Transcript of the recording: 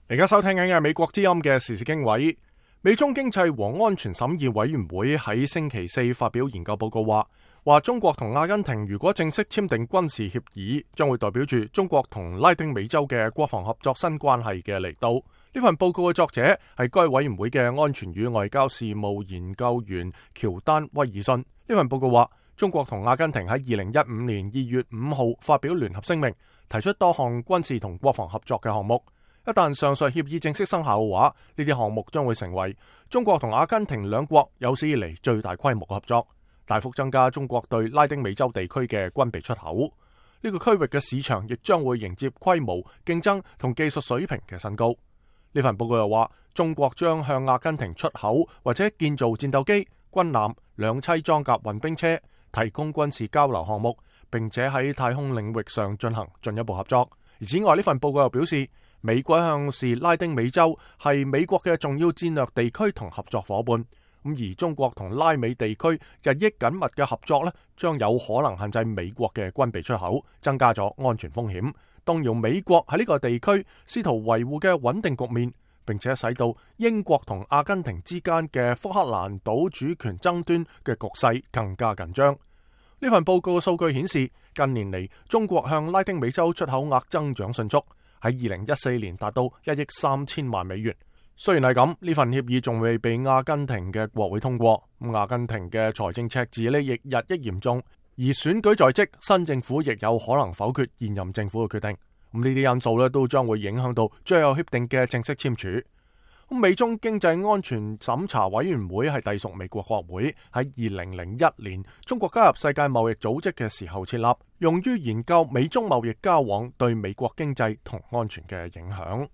而家收聽緊嘅美國之音嘅時事經緯，美中經濟和安全審議委員會喺星期四發表研究報告話中國同阿根廷如果正式簽訂軍事協議，將會代表住中國同拉丁美洲嘅國防合作新關係嘅嚟到。呢份報告嘅作者係該委員會嘅安全與外交事務研究員喬丹威爾遜。呢份報告話，中國同阿根廷喺2015年2月5號發表聯合聲明，提出多項軍事同國防合作嘅項目。一旦上述協議正式生效嘅話，呢啲項目將會成為中國同阿根廷兩國有史以嚟最大規模合作，大幅增加中國對拉丁美洲地區嘅軍備出口。呢個區域嘅市場亦將會迎接規模、競爭同技術水平嘅新高。呢份報告又話，中國將向阿根廷出口或者建造戰鬥機、軍艦、兩棲裝甲運兵車，提供軍事交流項目，並且喺太空領域上進行進一步合作。而此外，呢份報告又表示，美國一向視拉丁美洲係美國嘅重要戰略地區同合作伙伴，而中國同拉美地區日益緊密嘅合作將有可能限制美國嘅軍備出口，增加咗安全風險，動搖美國喺呢個地區試圖維護嘅穩定局面，並且使到英國同阿根廷之間嘅福克蘭島主權爭端嘅局勢更加緊張。呢份報告嘅數據顯示，近年嚟中國向拉丁美洲出口額增長迅速，喺2014年達到1億3000萬美元。雖然係咁，呢份協議仲未被阿根廷嘅國會通過，阿根廷嘅財政赤字亦日益嚴重，而選舉在即，新政府亦有可能否決現任政府嘅決定。呢啲因素都將會影響到最後協定嘅正式簽署。美中經濟安全審查委員會係隸屬美國國會，喺2001年中國加入世界貿易組織嘅時候設立，用於研究美中貿易交往對美國經濟同安全嘅影響。